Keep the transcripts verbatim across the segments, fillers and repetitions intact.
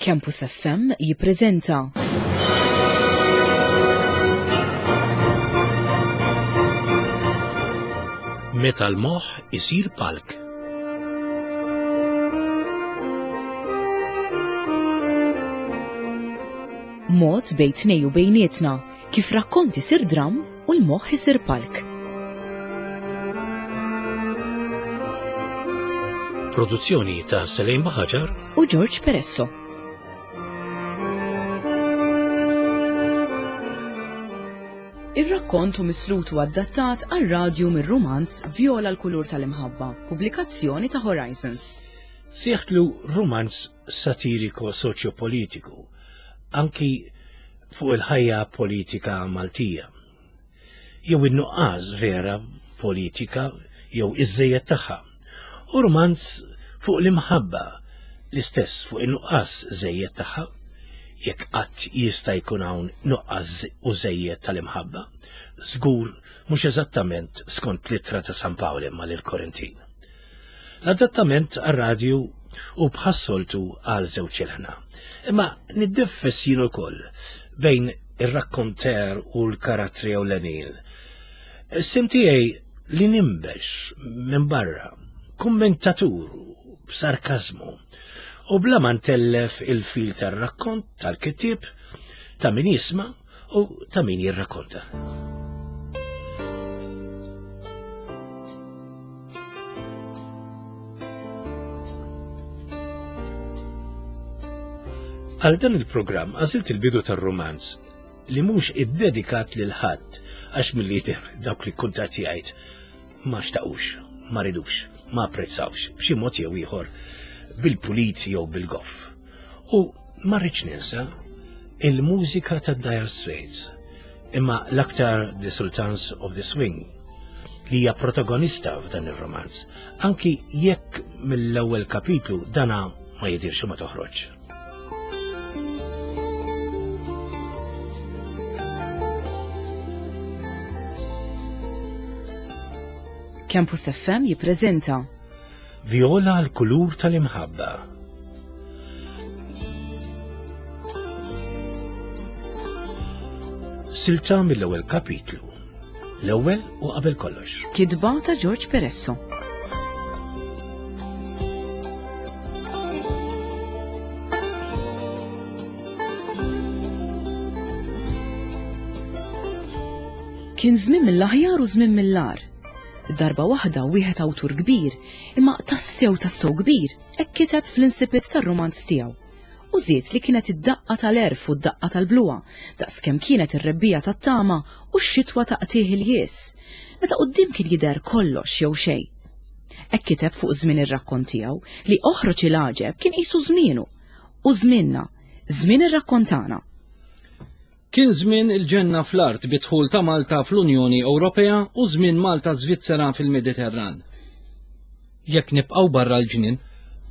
Campus F M jippreżenta Meta l-moħħ isir palk. Mod bejn tnej u bejnietna kif rakkont isir dram u l-moħħ isir palk. Produzzjoni ta' Selene Buhagiar u George Peresso. Ir-rakkont hu mislut u adattat għar-radju mir-rumanz Viola l-kulur tal-imħabba, pubblikazzjoni ta' Horizons. Sieħtlu rumanz satiriko soċjopolitiku, anki fuq il-ħajja politika Maltija. Jew in-nuqqas vera politika jew iż-żejjed tagħha. U rumanz fuq l-imħabba, l-istess fuq in-nuqqas żejjed tagħha, jekk qatt jista' jkun hawn nuqqas u żejjed tal-imħabba, żgur mhux eżattament skont l-ittra ta' San Pawl imma lill-Korintin. L-adattament għar-radju u bħas-soltu għal żewġ ilħna. Imma niddeffes jien ukoll bejn ir-rakkonter u l-karattri ewlenin. Is-sim tiegħi li nimbex minn barra, kummentatur b'sarkażmu, u bla ma ntellef il-fil tar-rakkont tal-kittieb ta' min jisma' u ta' min jirrakkonta. Għal dan il-programm għażilt il-bidu tar-rumanz li mhux iddedikat lil ħadd għax milli jidher dawk li kuntattjajt ma xtaqux, ma ridux, ma apprezzawx b'xi mod jew ieħor bil-pulit jew bil-goff. U ma rridx ninsa il-mużika ta' Dire Straits, imma l-aktar The Sultans of the Swing, li hija protagonista f'dan ir-romanz, anki jekk mill-ewwel kapitlu dana ma jidirx u ma toħroġ. Campus F M jippreżenta Viola l-kulur tal-imħabba. Silta mill-ewwel kapitlu. L-ewwel u qabel kollox. Kitba ta' George Peresso. Kien żmien mill-aħjar u żmien mill-agħar. Darba waħda wieħed awtur kbir, imma tassew tassew kbir, hekk kiteb fl-insipit tar-romanz tiegħu. U żied li kienet id-daqqa tal-erf u d-daqqa tal-bluwa, daqskemm kienet ir-rebbija tat-tama u x-xitwa ta' qtieħ il-jies, meta quddiem kien jidher kollox jew xejn. Hekk kiteb fuq żmien ir-rakkont tiegħu li oħroġ il-għaġeb kien qisu żmienu u żmienna, żmien ir-rakkontana. Kien żmien il-ġenna fl-art bidħul ta' Malta fl-Unjoni Ewropea u żmien Malta Svizzera fil-Mediterran. Jekk nibqgħu barra l-ġnien.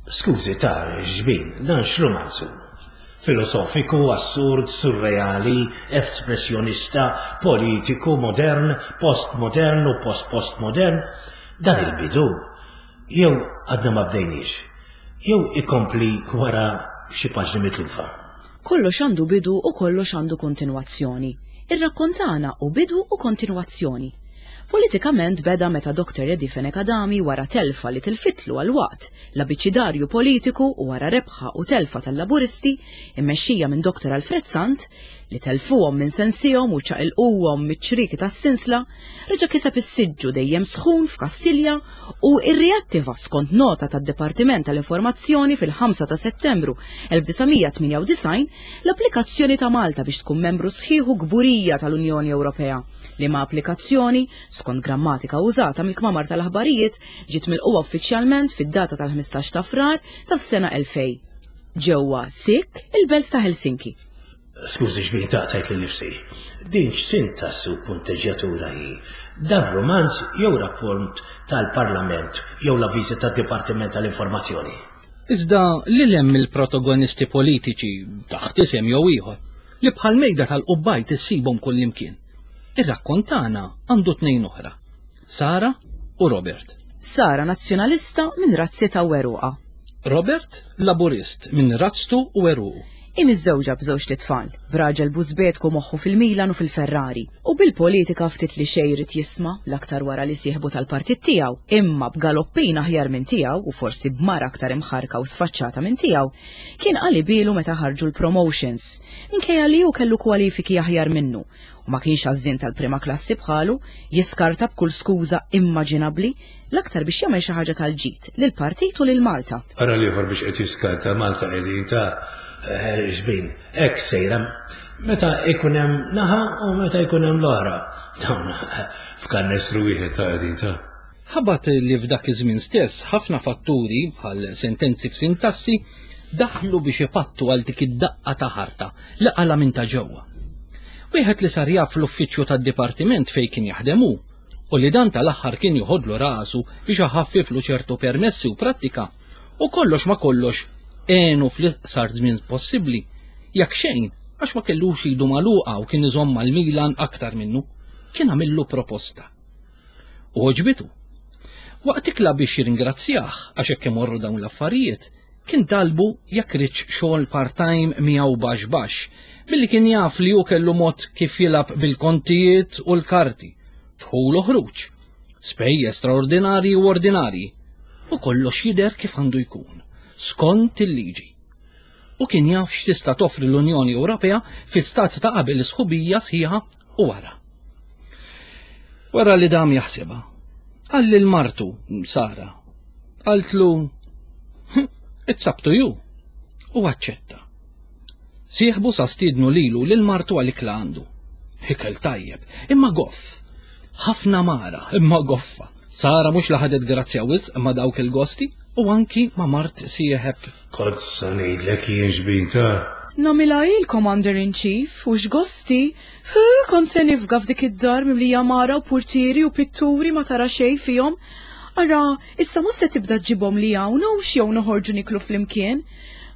Skużi ta' ġbin, dan x'romanzu? Filosofiku, assurd, surreali, espressjonista, politiku, modern, postmodern u post-postmodern. Dan il-bidu, jew għadna ma bdejniex, jew ikompli wara xi paġni mitlufa. Kollox għandu bidu u kollox għandu kontinwazzjoni. Ir-rakkontana u bidu u kontinwazzjoni. Politikament beda meta Doktor Eddie Fenech Adami wara telfa li tilfitlu għal waqt l-abiċidarju politiku u wara rebħa u telfa tal-Laburisti immexxija minn Doktor Alfred Sant li telfuhom minn sensihom u ċaqilquhom miċ-ċrieki tas-sinsla, reġa' kiseb is-siġġu dejjem sħun f'Kastilja u rriattiva skont nota tad-Dipartiment tal-Informazzjoni fil-ħamsa ta' Settembru elf disa' mija tmienja u disgħin l-applikazzjoni ta' Malta biex tkun membru sħiħ u kburija tal-Unjoni Ewropea, liema applikazzjoni skont grammatika użata mill-kmamar tal-aħbarijiet ġiet milquha uffiċjalment fid-data tal-ħmistax ta' Frar tas-sena elfej. Ġewwa Sik, il-belt ta' Helsinki. Skużi xbin taqtajt li nifsi. Din x'sintassi u punteġġjatura hi? Dan romanz jew rapport tal-Parlament jew l-avviżi tad-Dipartiment tal-Informazzjoni? Iżda li hemm il-protagonisti politiċi taħt isem jew ieħor li bħal mejda tal-qubbajt issibhom kullimkien. Ir-rakkontana għandu tnejn oħra, Sara u Robert. Sara nazzjonalista minn razzi ta' Weruqa. Robert, laburist minn razztu u għeruqu. Hi miżżewġa b'żewġt itfal, b'raġel bużbetku moħħu fil-Milan u fil-Ferrari, u bil-politika ftit li xejn irid jisma' l-aktar wara li sieħbu tal-partit tiegħu, imma b'galoppin aħjar minn tiegħu u forsi b'mara aktar imħarka u sfaċċata minn tiegħu, kien qalibielu meta ħarġu l-promotions, minkejja li hu kellu kwalifiki aħjar minnu u ma kienx għażżien tal-prima klassi bħalu, jiskarta b'kull skuża immaġinabbli, l-aktar biex jagħmel xi ħaġa tal-ġid lill-partit u lil Malta. Ara l-ieħor biex qed jiskarta Malta qegħdin ta' eh, xbin, hekk sejra. Meta ikun hemm naħa u meta ikun hemm l-oħra. Dawn f'kannestru wieħed ta' qegħdin ta' Ħabat li f'dak iż-żmien stess ħafna fatturi bħal sentenzi f'sintassi daħlu biex ipattu għal dik id-daqqa ta' ħarta li qala minn ta' ġewwa. Wieħed li sar jaf l-uffiċċju tad-dipartiment fejn kien jaħdem hu u li dan tal-aħħar kien joħodlu rasu biex iħaffiflu ċertu permessi u prattika u kollox ma kollox għenu fl-iqsar żmien possibbli jekk xejn għax ma kellux idu magħluqa u kien iżomm mal-Milan aktar minnu, kien għamillu proposta. U għoġbitu. Waqt ikla biex jirringrazzjah għax hekk imorru dawn l-affarijiet, kien talbu jekk riedx xogħol part-time miegħu baxx baxx, billi kien jaf li hu kellu mod kif jilgħab bil-kontijiet u l-karti, dħul u ħruġ, spejjeż straordinarji u ordinarji, u kollox jidher kif għandu jkun, skont il-liġi. U kien jaf x'tista' toffri l-Unjoni Ewropea fi stat ta' qabel sħubija sħiħa u wara. Wara li dam jaħsibha, qal lil martu, Sara, qaltlu, "It's up to you," u aċċetta. Sieħbu sa stiednu lilu lil martu għal ikla għandu. Ikel tajjeb, imma goff. Ħafna mara, imma goffa. Sara mhux li ħadet grazzja wisq ma' dawk il-gosti u anki ma' mart sieħeb. Kont sa ngħidlek jien xbin ta' Nagħmilha il-Commander in Chief u x'gosti, hu kont se nifga f'dik id-dar mimlija mara u portieri u pitturi ma tara xejn fihom. Ara, issa mhux se tibda ġġibhom li hawn u jew noħorġu niklu flimkien.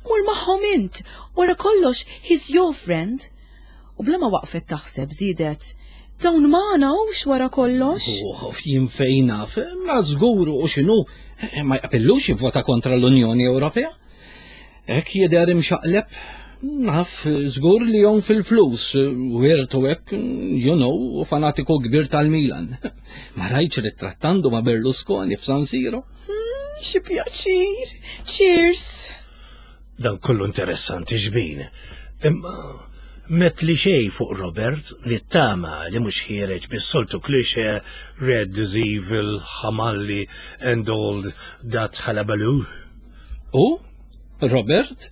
Mur magħhom int, wara kollox he's your friend. U bla ma waqfet taħseb żiedet, dawn magħna hux wara kollox. Oh, jien fejn naf, ma żgur u x'inhu, eh, ma jaqbillux jivvota kontra l-Unjoni Ewropea. Hekk jidher imxaqleb, naf żgur li jom fil-flus, wirtu hekk, you know, u fanatiku kbir tal-Milan. Ma rajtx ritrattandu ma' Berlusconi f'San Siro. Xi pjaċir. Cheers. Dan kollu interessanti xbin. Imma met li xej fuq Robert li tama li mhux ħiereġ bis-soltu cliché red is evil, ħamalli and all that hullabaloo. U, Robert,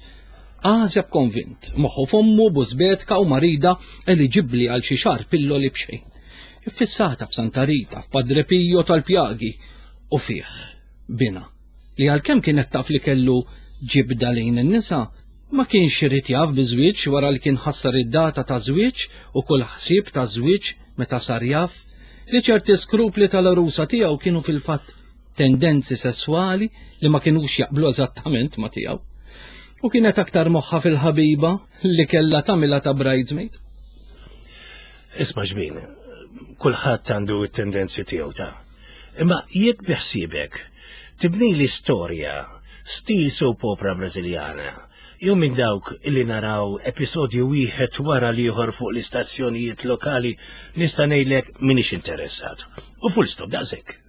għażeb konvint, moħħu fommu bużbetka u marida eliġibbli għal xi xahar pilloli b'xejn. Iffissata f'Santa Rita, f'Padre Pio tal-Pjagi, u fih, bina, li għalkemm kienet taf li kellu ġibda lejn in-nisa, ma kienx irid jaf biżwieġ wara li kien ħassar id-data ta' żwieġ u kull ħsieb ta' żwieġ meta sar jaf li ċerti skrupli tal-arusa tiegħu kienu fil-fatt tendenzi sessuali li ma kienux jaqblu eżattament ma tiegħu. U kienet aktar moħħa fil-ħabiba li kellha tagħmilha ta' bridesmaid. Isma' xbin, kulħadd għandu t-tendenzi tiegħu ta'. Imma jekk biħsibek tibni l-istorja stil soap opera Brażiljana, jew minn dawk illi naraw episodju wieħed wara l-ieħor fuq l-istazzjonijiet lokali nista' ngħidlek m'iniex interessat. U full stop daqshekk.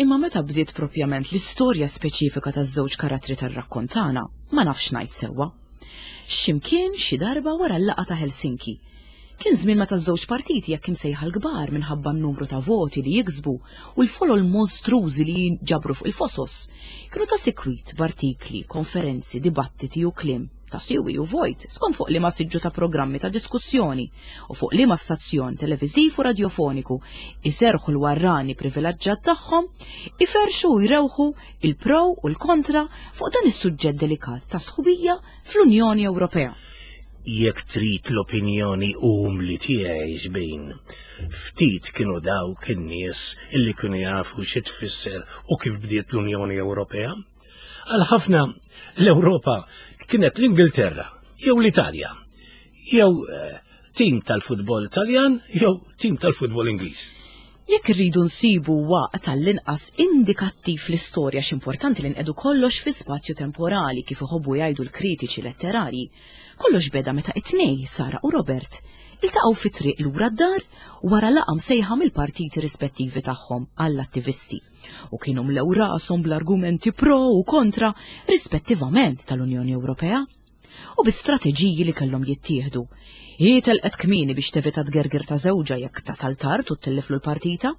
Imma meta bdiet propjament l-istorja speċifika taż-żewġ karattri tar-rakkont tagħna, ma nafx ngħid sewwa. X'imkien xi darba wara l-laqgħa ta' Helsinki. Kien żmien meta ż-żewġ partiti jekk imsejħa l-kbar minħabba n-numru ta' voti li jiksbu u l-folol monstrużi li jinġabru fuq il-fosos. Kienu ta' sikwit b'artikli, konferenzi, dibattiti u kliem ta' siwi u vojt skont fuq liema siġġu ta' programmi ta' diskussjoni u fuq liema stazzjon televiżiv u radiofoniku iserħu l-warrani privileġġat tagħhom, iferxu u jrewħu il-pro u l-kontra fuq dan is-suġġett delikat ta' sħubija fl-Unjoni Ewropea. Jekk trid l-opinjoni umli tiegħi xbin, ftit kienu dawk in-nies illi kienu jafu xi tfisser u kif bdiet l-Unjoni Ewropea. Għal ħafna l-Ewropa kienet l-Ingilterra jew l-Italja, jew eh, tim tal-futbol Taljan jew tim tal-futbol Ingliż. Jekk irridu nsibu waqt għall-inqas indikattiv l-istorja, x'importanti li nqedu kollox fi spazju temporali kif iħobbu jgħidu l-kritiċi letterarji. Kollox beda meta it-tnej, Sara u Robert, iltaqgħu fi triq lura d-dar wara laqgħa msejħa mill-partiti rispettivi tagħhom għall-attivisti u kienu mlew rashom bl-argumenti pro u kontra rispettivament tal-Unjoni Ewropea u bi strateġiji li kellhom jittieħdu. Hi telqet kmieni biex tevita tgergir ta' żewġha jekk tasal tard u telliflu l-partita.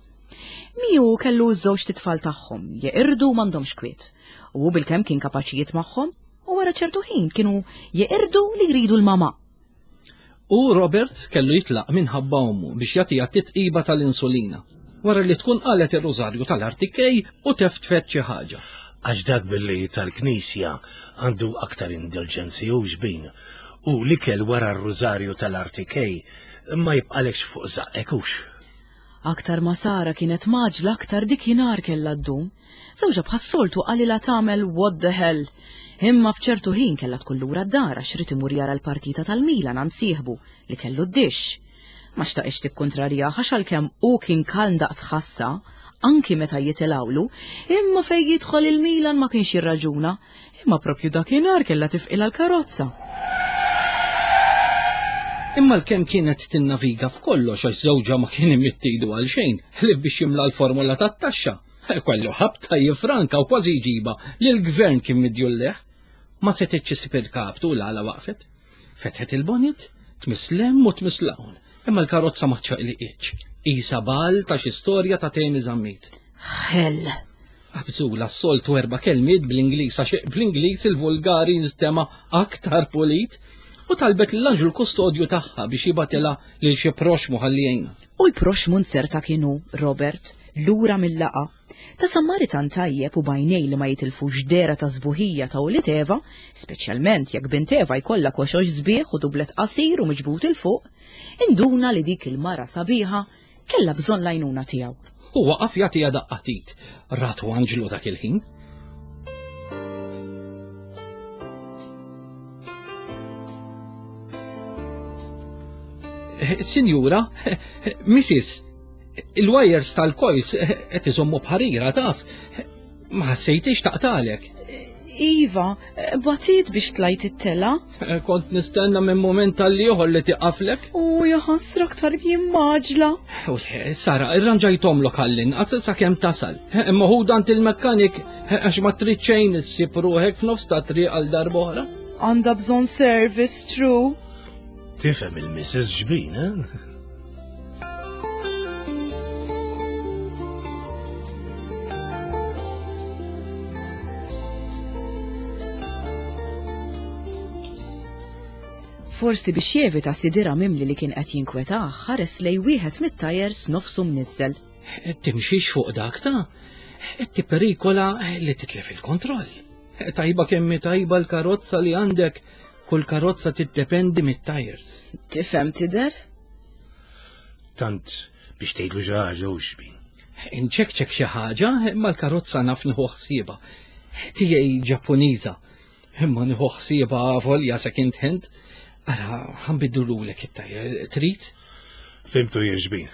Miu kellu ż-żewġ titfal tagħhom jeqirdu m'għandhomx kwiet. U bilkemm kien kapaċijiet magħhom u wara ċertu ħin kienu jeqirdu li jridu l-mama. U Robert kellu jitlaq minħabba ommu biex jagħtiha titqiba tal-insulina wara li tkun qalet ir-rużarju tal-Artikej u teftfet xi ħaġa. Għax dak billi tal-Knisja għandu aktar indulġenzi u xbin u l-ikel wara r-rużarju tal-Artikej ma jibqalekx fuq żaqqek hux. Aktar ma Sara kienet maġla aktar dikinhar kellha ddum. Żewġha bħas-soltu qalilha tagħmel what the hell. Imma f'ċertu ħin kellha tkun lura d-dar għax rid imur jara l-partita tal-Milan għand sieħbu li kellu d-dixx. Ma xtaqx tikkontrarjah għax għalkemm hu kien kalm daqs ħassa, anki meta jitilgħulu, imma fejn jidħol il-Milan ma kienx jirraġuna, imma propju dakinhar kellha tifqilha l-karozza. Imma l-kemm kienet tinnaviga f'kollox għax żewġha ma kien imittidu għal xejn, ħlief biex jimla l-formola tat-taxxa. Kellu ħabta jifranka u kważi jġiba li l-gvern kien midjulleħ. Ma setgħetx issib il-kaptu l-għala waqfet. Fetħet il-bonnet, tmiss 'l hemm u tmiss 'l hawn. Imma l-karozza ma ċaqliqitx. Isa bal ta' xi storja ta' Temi Zammit. Hell. Qabżula s-soltu erba' kelmiet bl-Ingliż għax bl-Ingliż il-vulgari jinstema' aktar pulit u talbet l-anġlu kustodju tagħha biex jibatilha lil xi proxmu ħalli jgħinha. U l-proxmu nzerta kienu Robert lura mill-laqa. Ta' Sammaritan tajjeb u bajnej li ma jitilfux dera ta' sbuħija ta' ulied Eva, speċjalment jekk bint Eva jkollha koxox sbieħ u dublet qasir u miġbut 'il fuq, induna li dik il-mara sabiħa kellha bżonn l-għajnuna tiegħu. U waqaf jagħtiha daqqatit. Ratu anġlu dak il-ħin. Sinjura, Missis, il-wires tal-coils qed iżommu bħarira taf. Ma ħassejtix taqtalek. Iva, batit biex tlajt it-tela. Kont nistenna minn moment tal-ieħor li tiqaflek. U jaħasra aktar jimmaġla. U Sara, irranġajtomlok għall-inqas sakemm tasal. Imma hu dant il-mekkanik għax ma trid xejn issib ruħek f'nofs ta' triq għal darb'oħra. Għandha bżonn service, true. Tifhem il-Missus Ġbin, eh? Forsi biex jevita sidira mimli li kien qed jinkwetah, ħares lej wieħed mit-tajers nofsu mniżżel. Timxix fuq dak ta' tipperikola li titlef il-kontroll. Tajba kemm tajba l-karozza li għandek, kull karozza tiddependi mit-tajers. Tifhem tidher? Tant biex tgħidlu xi ħaġa u xbin. Inċekċek xi ħaġa, imma l-karozza naf nieħu ħsiebha. Tiegħi Ġappuniża, imma nieħu ħsiebha volja second hand. Ara, ħanbiddululek it-tajer, trid? Fimtu jirġbin.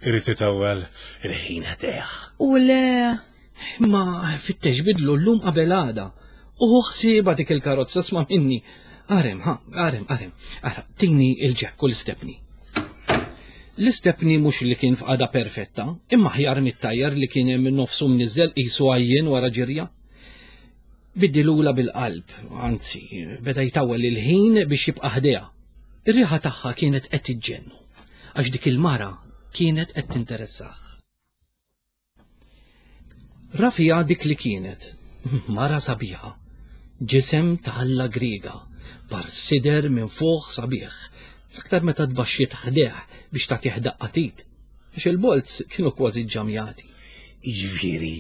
Irrid itawwal il-ħin ħdejh. U le. Imma fittex bidlu llum qabel għada. U ħsiebha dik il-karozza sma' minni. Arem, ha, arem, arem. Ara, tini il-ġekk u l-istepni. L-istepni mhux li kien f'qagħda perfetta, imma ħjar mit-tajjar li kien hemm nofsu mniżżel qisu għajjien wara ġirja. Biddilula bil-qalb, anzi, beda jtawwel il-ħin biex jibqa' ħdejha. Ir-riħa tagħha kienet qed tiġġennu, għax dik il-mara kienet qed tinteressah. Rafija dik li kienet, mara sabiħa, ġisem ta' Alla Griega, par sider minn fuq sabiħ, l-aktar meta tbaxxiet ħdejh biex tagħtih daqqatit, għax il-bolz kienu kważi ġġamjati. Jiġifieri,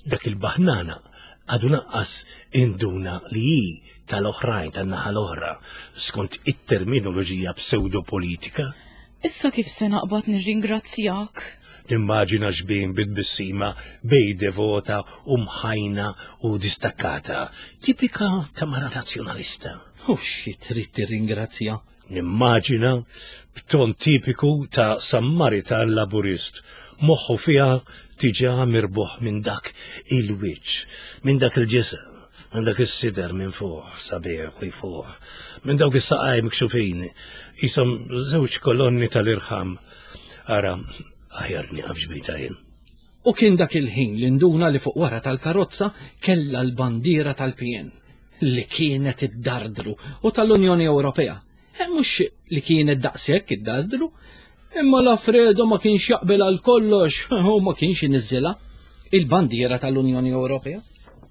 dak il-baħnana għadu naqqas induna li hi tal-oħrajn, tan-naħa l-oħra, skont it-terminoloġija pseudopolitika. Issa kif se naqbad nirringrazzjak? Nimmaġina xbin bit-tbissima bej devota u mħajna u distakkata, tipika ta' mara nazzjonalista. U xi trid tirringrazzja? Nimmaġina b'ton tipiku ta' Sammaritan Laburist, moħħu fiha tiġa mirbuħ minn dak il-wiċċ, minn dak il-ġisem, minn dak is-sider minn fuq sabiħ u jfuħ, minn dawk is-saqaj mikxufin, qishom żewġ kolonni tal-irħam. Ara, aħjar nieqaf ġbita jien. U kien dak il-ħin li nduna li fuq wara tal-karozza kellha l-bandiera tal-P N li kienet iddardru u tal-Unjoni Ewropea. E mhux li kienet daqshekk iddardru, imma l-Alfredo ma kienx jaqbel għal kollox u ma kienx iniżżilha il-bandiera tal-Unjoni Ewropea.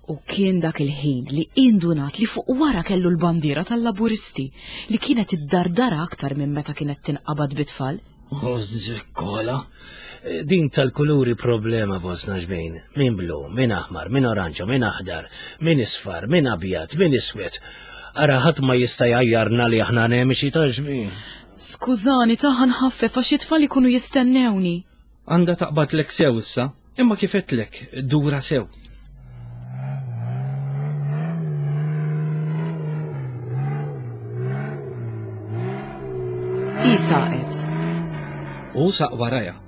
U kien dak il-ħin li indunat li fuq wara kellu l-bandiera tal-Laburisti li kienet iddardara aktar minn meta kienet tinqabad bit-tfal. U żikkola. Din tal-kuluri problema fostna ġbejn. Min blu, min aħmar, min oranġo, min aħdar, min isfar, min abjad, min iswed. Ara ħadd ma jista' jgħajjarna li aħna nemiċi ta' ġbejn. Skużani, taħan ħaffef għax it-tfal ikunu jistennewni. Għanda taqbadlek sew issa, imma kif għedtlek, dura sew. Hi saqet. U saq waraja.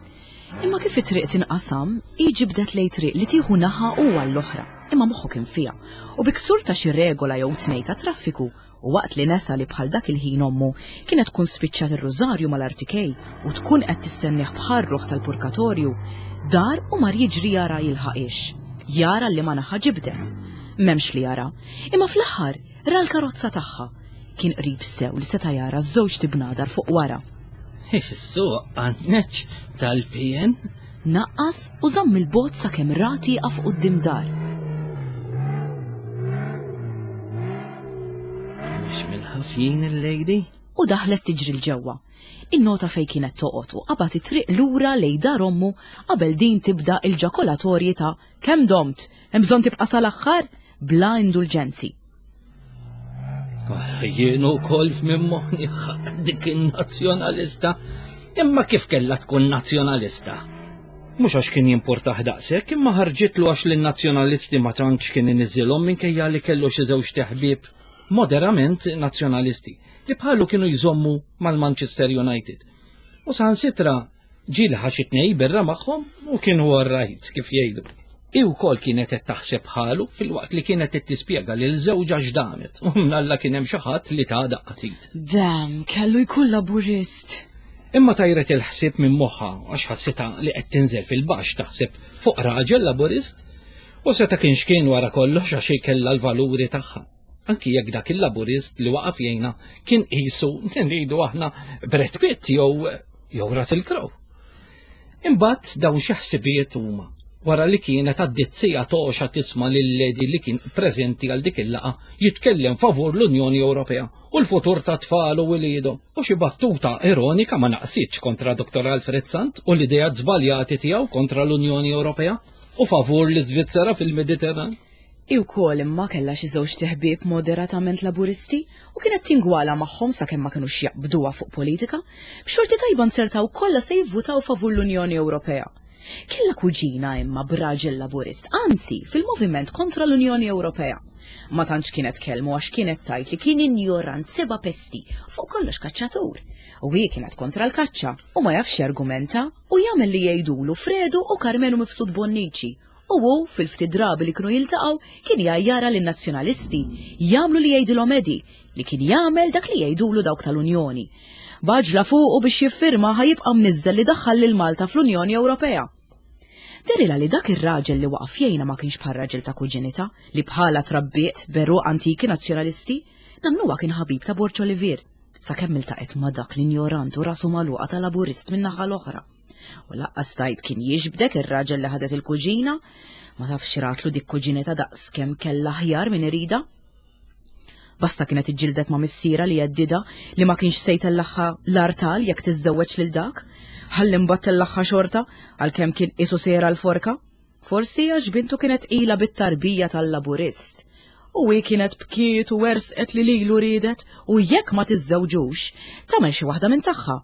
Imma kif it-triq tinqasam, hi ġibdet lejn triq li tieħu naħa u għall-oħra, imma moħħu kien fiha. U bi ksur ta' xi regola jew tnej ta' traffiku, u waqt li nesa li bħal dak il-ħin ommu kienet tkun spiċċat ir-rużarju mal-artikej u tkun qed tistennih bħal ruħ tal-purkatorju, dar u mar jiġri jara jilħaqix. Jara li ma naħa ġibdet. M'hemmx li jara. Imma fl-aħħar ra l-karozza tagħha. Kien qrib sew li seta' jara żewġ tibnadar fuq wara. Is-suq għanneċ tal-P N. Naqqas u żamm il-bot sakemm ra tieqaf quddiem dar. Mhux mill-ħafjin il-lady? U daħlet tiġri l-ġewwa. Innota fejn kienet toqgħod u qabad it-triq lura lejn dar ommu qabel din tibda il-ġakolatorji ta' kemm domt, hemm bżonn tibqa' sal-aħħar bla indulġenzi. Ara jien ukoll minn moħħni dik in-nazzjonalista. Imma kif kellha tkun nazzjonalista? Mhux għax kien jimportah daqshekk, imma ħarġitlu għax lin-nazzjonalisti ma tantx kien iniżilhom minkejja li kellu xi żewġ teħbieb moderament nazzjonalisti li bħalu kienu jżommu mal-Manchester United. U saħansitra ġieli ħa xi tnejn birra magħhom u kienu all right kif jgħidu. Hi wkoll kienet qed taħseb bħalu filwaqt li kienet qed tispjega lil żewġha x'damet u mnalla kien hemm xi ħadd li ta' daqqa t'id. Dam, kellu jkun Laburist. Imma tajret il-ħsieb minn moħħha għax ħassitha li qed tinżel fil-baxx taħseb fuq raġel Laburist u seta' kienx kien wara kollox għax hi kellha l-valuri tagħha. Anki jekk dak il-Laburist li waqaf jgħinha kien qisu ngħidu aħna Brad Pitt jew jew Russell Crowe. Imbagħad dawn xi ħsibijiet huma wara li kienet għaddiet siegħa toxa tisma' lil-lady li kien preżenti għal dik il-laqgħa jitkellem favur l-Unjoni Ewropea u l-futur ta' tfal u wliedhom. U xi battuta ironika ma naqsitx kontra Doktor Alfred Sant u l-idea żbaljati tiegħu kontra l-Unjoni Ewropea u favur l-Iżvizzera fil-Mediterran. Hi wkoll imma kellha xi żewġ teħbieb moderatament Laburisti u kienet tingwala magħhom sakemm ma kinux jaqbduha fuq politika, b'xorti tajba nzertaw kollha se jivvutaw favur l-Unjoni Ewropea. Kella kuġina imma b'raġel Laburist, anzi fil-moviment kontra l-Unjoni Ewropea. Ma tantx kienet kelmu għax kienet tajt li kien injorant seba' pesti fuq kollox kaċċatur. U hi kienet kontra l-kaċċa u ma jafx argumenta u jagħmel li jgħidulu Fredu u Karmenu Mifsud Bonnici. U hu fil-ftit drabi li kienu jiltaqgħu kien jgħajjara lin-nazzjonalisti jagħmlu li jgħidilhom Eddie li kien jagħmel dak li jgħidulu dawk tal-Unjoni. Baġla fuqu biex jiffirma ħajibqa' mniżżel li daħħal lil Malta fl-Unjoni Ewropea. Derila li dak ir-raġel li waqaf jgħinha ma kienx bħal raġel ta' kuġinita li bħala trabbiet beru antiki nazzjonalisti, nannuha kien ħabib ta' Borg Olivier, sakemm iltaqet ma' dak l-injorant u rasu magħluqa ta' Laburist min-naħa l-oħra. U laqqas tajt kien jiġbdek ir-raġel li ħadet il-kuġina, ma tafx ratlu dik kuġinita daqs kemm kellha ħjar minn irida. Basta kienet iġġildet ma' missiera li jeddida li ma kienx se jtellaħħa l-artal jekk tiżżewweġ lil dak, ħalli mbagħad tellaħħa xorta għalkemm kien qisu sejra l-forka. Forsi għax bintu kienet qila bit-tarbija tal-Laburist. U hi kienet bkiet u wersqet li lilu riedet u jekk ma tiżżewġux, tagħmel xi waħda minn tagħha.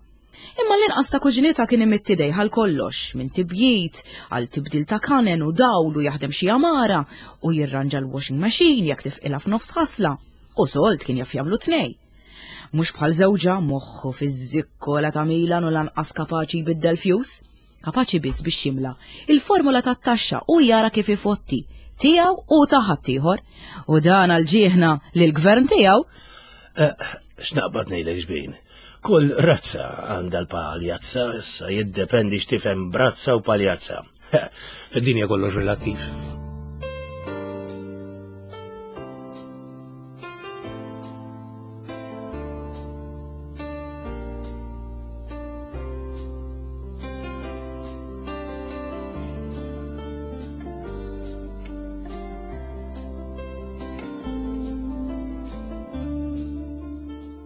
Imma l-inqas ta' kuġinita kien imidd idejh għal kollox, minn tibjit, għal tibdil ta' kanen u dawl u jaħdem xi għamara u jirranġa l-washing machine jekk tifqilha f'nofs ħasla. U solt kien jaf jagħmlu tnej. Mhux bħal żewġha moħħu fiż-żikkola ta' Milan u lanqas kapaċi jbiddel fjus, kapaċi biss biex jimla il-formula tat-taxxa u jara kif ifotti tiegħu u ta' ħaddieħor. U dan għal ġieħna lill-gvern tiegħu. Eh, x'naqbad ngħidlek xbin? Kull razza għandha l-paljazza, issa jiddependi x'tifhem brazza u paljazza. Fid-dinja kollox relattiv.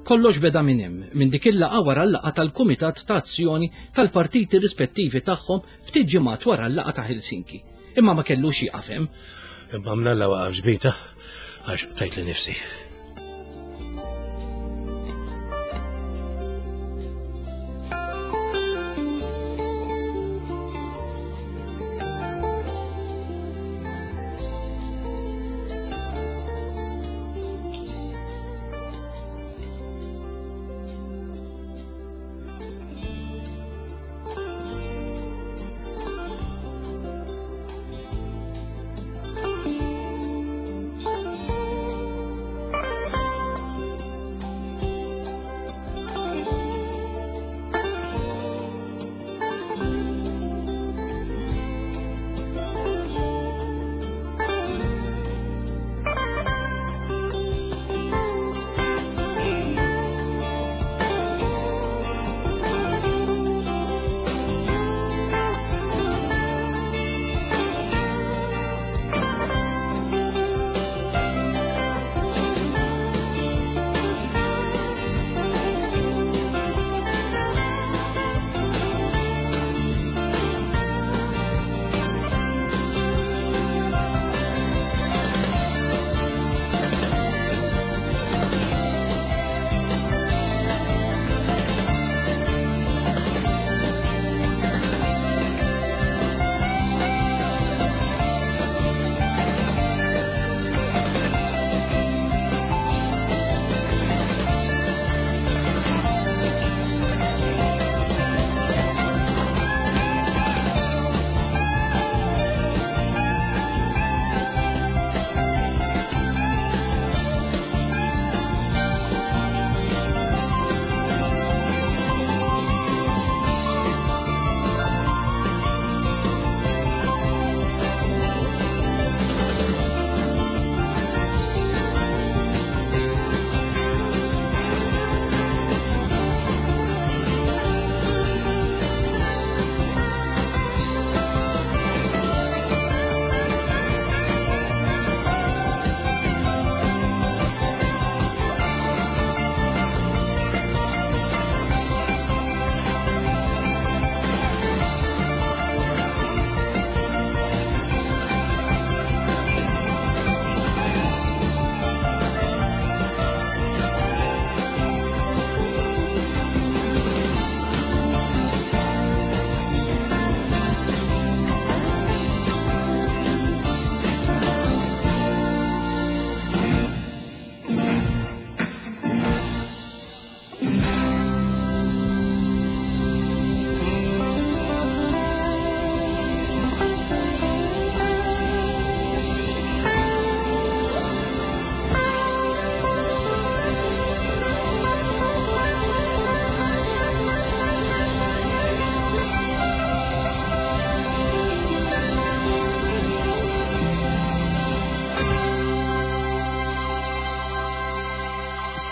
Kollox beda minn hemm, minn dik il-laqgħa wara l-laqgħa tal-Kumitat ta' Azzjoni tal-partiti rispettivi tagħhom ftit ġimgħat wara l-laqgħa ta' Helsinki. Imma ma kellux jieqaf hemm. Imma mnalla waqaf ġbita għax tajt li nifsi.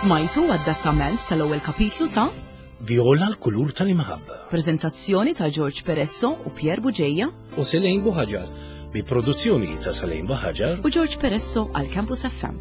Smajtu adattament tal-ewwel kapitlu ta' Viola l-kulur tal-imħabba. Prezentazzjoni ta' George Peresso u Pier Buġeja U Selejn Buħaġar. Bi produzzjoni ta' Salem Buħaġar u George Peresso għal Campus F M.